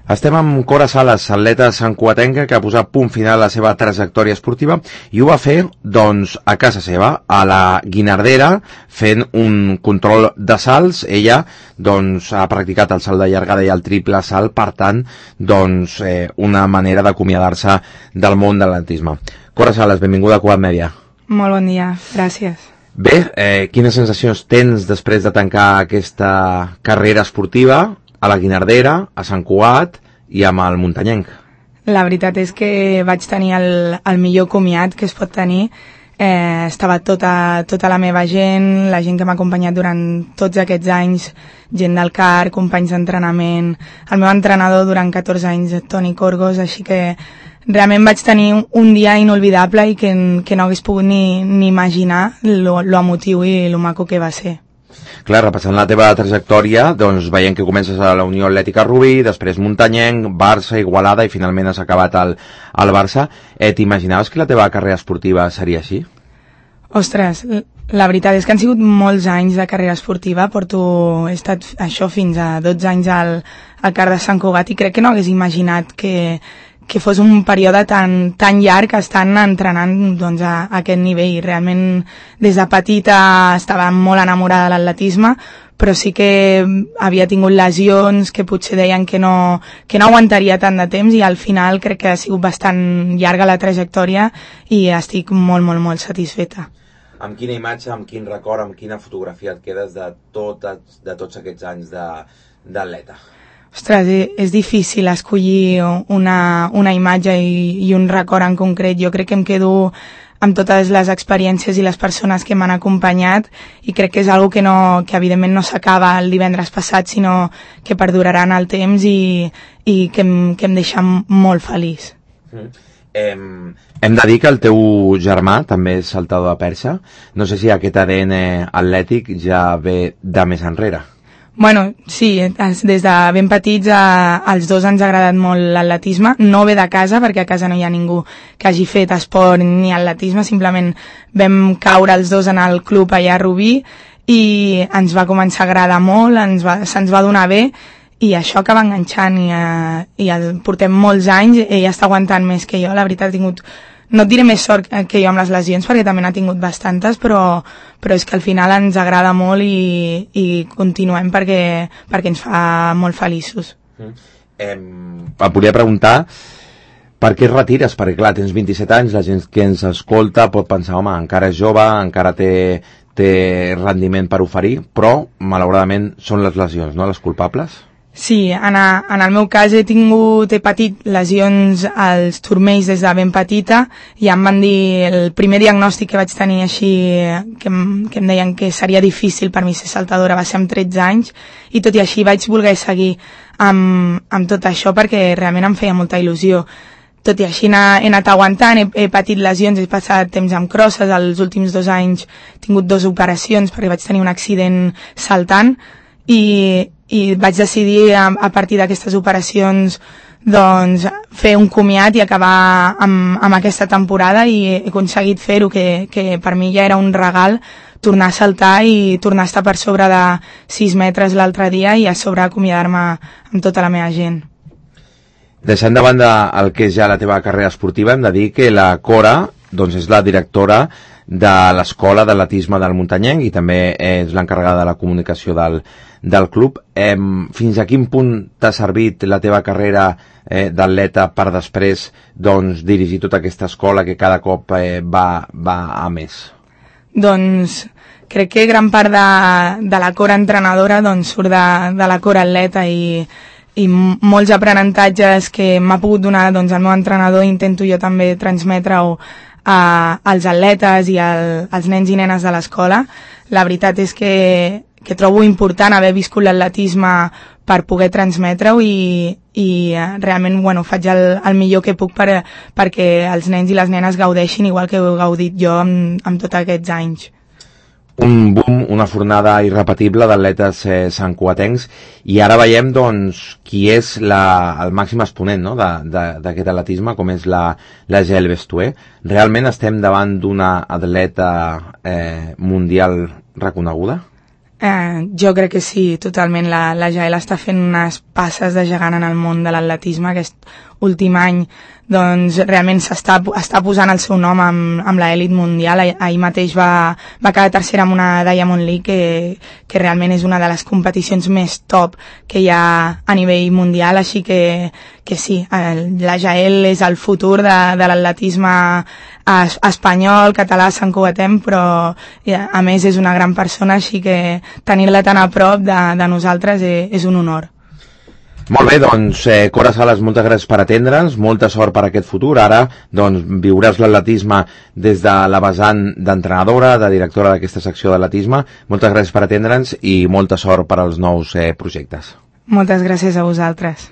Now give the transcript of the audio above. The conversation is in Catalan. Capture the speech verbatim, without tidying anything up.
Estem amb Cora Sales, atleta santcugatenca que ha posat punt final a la seva trajectòria esportiva i ho va fer, doncs, a casa seva, a la Guinardera, fent un control de salts. Ella, doncs, ha practicat el salt de llargada i el triple salt, per tant, doncs, eh, una manera d'acomiadar-se del món de l'atletisme. Cora Sales, benvinguda a Cugat Mèdia. Molt bon dia, gràcies. Bé, eh, quines sensacions tens després de tancar aquesta carrera esportiva a la Guinardera, a Sant Cugat i amb el muntanyenc? La veritat és que vaig tenir el, el millor comiat que es pot tenir. Eh, estava tota, tota la meva gent, la gent que m'ha acompanyat durant tots aquests anys, gent del C A R, companys d'entrenament, el meu entrenador durant catorze anys, Toni Corgos, així que realment vaig tenir un dia inolvidable i que, que no hagués pogut ni, ni imaginar lo, lo emotiu i lo maco que va ser. Clar, repassant la teva trajectòria, doncs veiem que comences a la Unió Atlètica Rubí, després Muntanyenc, Barça, Igualada i finalment has acabat al, al Barça. Eh, T'imaginaves que la teva carrera esportiva seria així? Ostres, la veritat és que han sigut molts anys de carrera esportiva. Porto, he estat això fins a dotze anys al, al C A R de Sant Cugat i crec que no hagués imaginat que, que fos un període tan, tan llarg estant entrenant doncs, a, a aquest nivell. Realment, des de petita estava molt enamorada de l'atletisme, però sí que havia tingut lesions que potser deien que no, que no aguantaria tant de temps i al final crec que ha sigut bastant llarga la trajectòria i estic molt, molt, molt satisfeta. Amb quina imatge, amb quin record, amb quina fotografia et quedes de, tot, de tots aquests anys d'atleta? Ostres, és difícil escollir una, una imatge i, i un record en concret. Jo crec que em quedo amb totes les experiències i les persones que m'han acompanyat i crec que és una que, no, que evidentment no s'acaba el divendres passat, sinó que perduraran el temps i, i que, em, que em deixa molt feliç. Mm. Hem, hem de dir que el teu germà també és saltador de perxa. No sé si aquest A D N atlètic ja ve de més enrere. Bueno, sí, des de ben petits a, als dos ens ha agradat molt l'atletisme. No ve de casa, perquè a casa no hi ha ningú que hagi fet esport ni atletisme, simplement vam caure els dos en el club allà a Rubí i ens va començar a agradar molt, ens va, se'ns va donar bé i això acaba enganxant i, eh, i el portem molts anys, ell està aguantant més que jo, la veritat ha tingut... No et diré més sort que jo amb les lesions, perquè també n'ha tingut bastantes, però, però és que al final ens agrada molt i, i continuem perquè, perquè ens fa molt feliços. Mm. Eh, em volia preguntar per què et retires? Perquè clar, tens vint-i-set anys, la gent que ens escolta pot pensar, home, encara és jove, encara té, té rendiment per oferir, però malauradament són les lesions, no?, les culpables? Sí, en, a, en el meu cas he tingut, he patit lesions als turmells des de ben petita i em van dir, el primer diagnòstic que vaig tenir així, que, em, que em deien que seria difícil per mi ser saltadora, va ser amb tretze anys i tot i així vaig voler seguir amb, amb tot això perquè realment em feia molta il·lusió. Tot i així he anat aguantant, he, he patit lesions, he passat temps amb crosses, els últims dos anys he tingut dues operacions perquè vaig tenir un accident saltant i i vaig decidir a, a partir d'aquestes operacions doncs fer un comiat i acabar amb, amb aquesta temporada i he aconseguit fer-ho, que, que per mi ja era un regal tornar a saltar i tornar a estar per sobre de sis metres l'altre dia i a sobre acomiadar-me amb tota la meva gent. Deixant de banda el que és ja la teva carrera esportiva, hem de dir que la Cora doncs, és la directora de l'Escola d'Atletisme del Muntanyenc i també és l'encarregada de la comunicació del, del club. Eh, fins a quin punt t'ha servit la teva carrera eh, d'atleta per després doncs, dirigir tota aquesta escola que cada cop eh, va, va a més? Doncs crec que gran part de, de la Cora entrenadora doncs, surt de, de la Cora atleta i, i molts aprenentatges que m'ha pogut donar doncs, el meu entrenador intento jo també transmetre-ho a, als atletes i al, als nens i nenes de l'escola. La veritat és que, que trobo important haver viscut l'atletisme per poder transmetre-ho i, i realment bueno, faig el, el millor que puc per, perquè els nens i les nenes gaudeixin igual que heu gaudit jo amb, amb tots aquests anys. Un boom, una fornada irrepetible d'atletes eh, santcugatencs i ara veiem doncs qui és la, el màxim exponent no? d'aquest atletisme com és la, la Gel Bestué. Realment estem davant d'una atleta eh, mundial reconeguda? Eh, jo crec que sí, totalment. La, la Jael està fent unes passes de gegant en el món de l'atletisme aquest últim any. Doncs realment s'està està posant el seu nom amb, amb l'elit mundial. Ah, ahir mateix va, va quedar tercera amb una Diamond League que, que realment és una de les competicions més top que hi ha a nivell mundial, així que, que sí, el, la Jael és el futur de, de l'atletisme espanyol, català, Sant Cugatem, però a més és una gran persona, així que tenir-la tan a prop de, de nosaltres és, és un honor. Molt bé, doncs, eh, Cora Sales, moltes gràcies per atendre'ns, molta sort per aquest futur. Ara, doncs, viuràs l'atletisme des de la vessant d'entrenadora, de directora d'aquesta secció d'atletisme. Moltes gràcies per atendre'ns i molta sort per als nous eh, projectes. Moltes gràcies a vosaltres.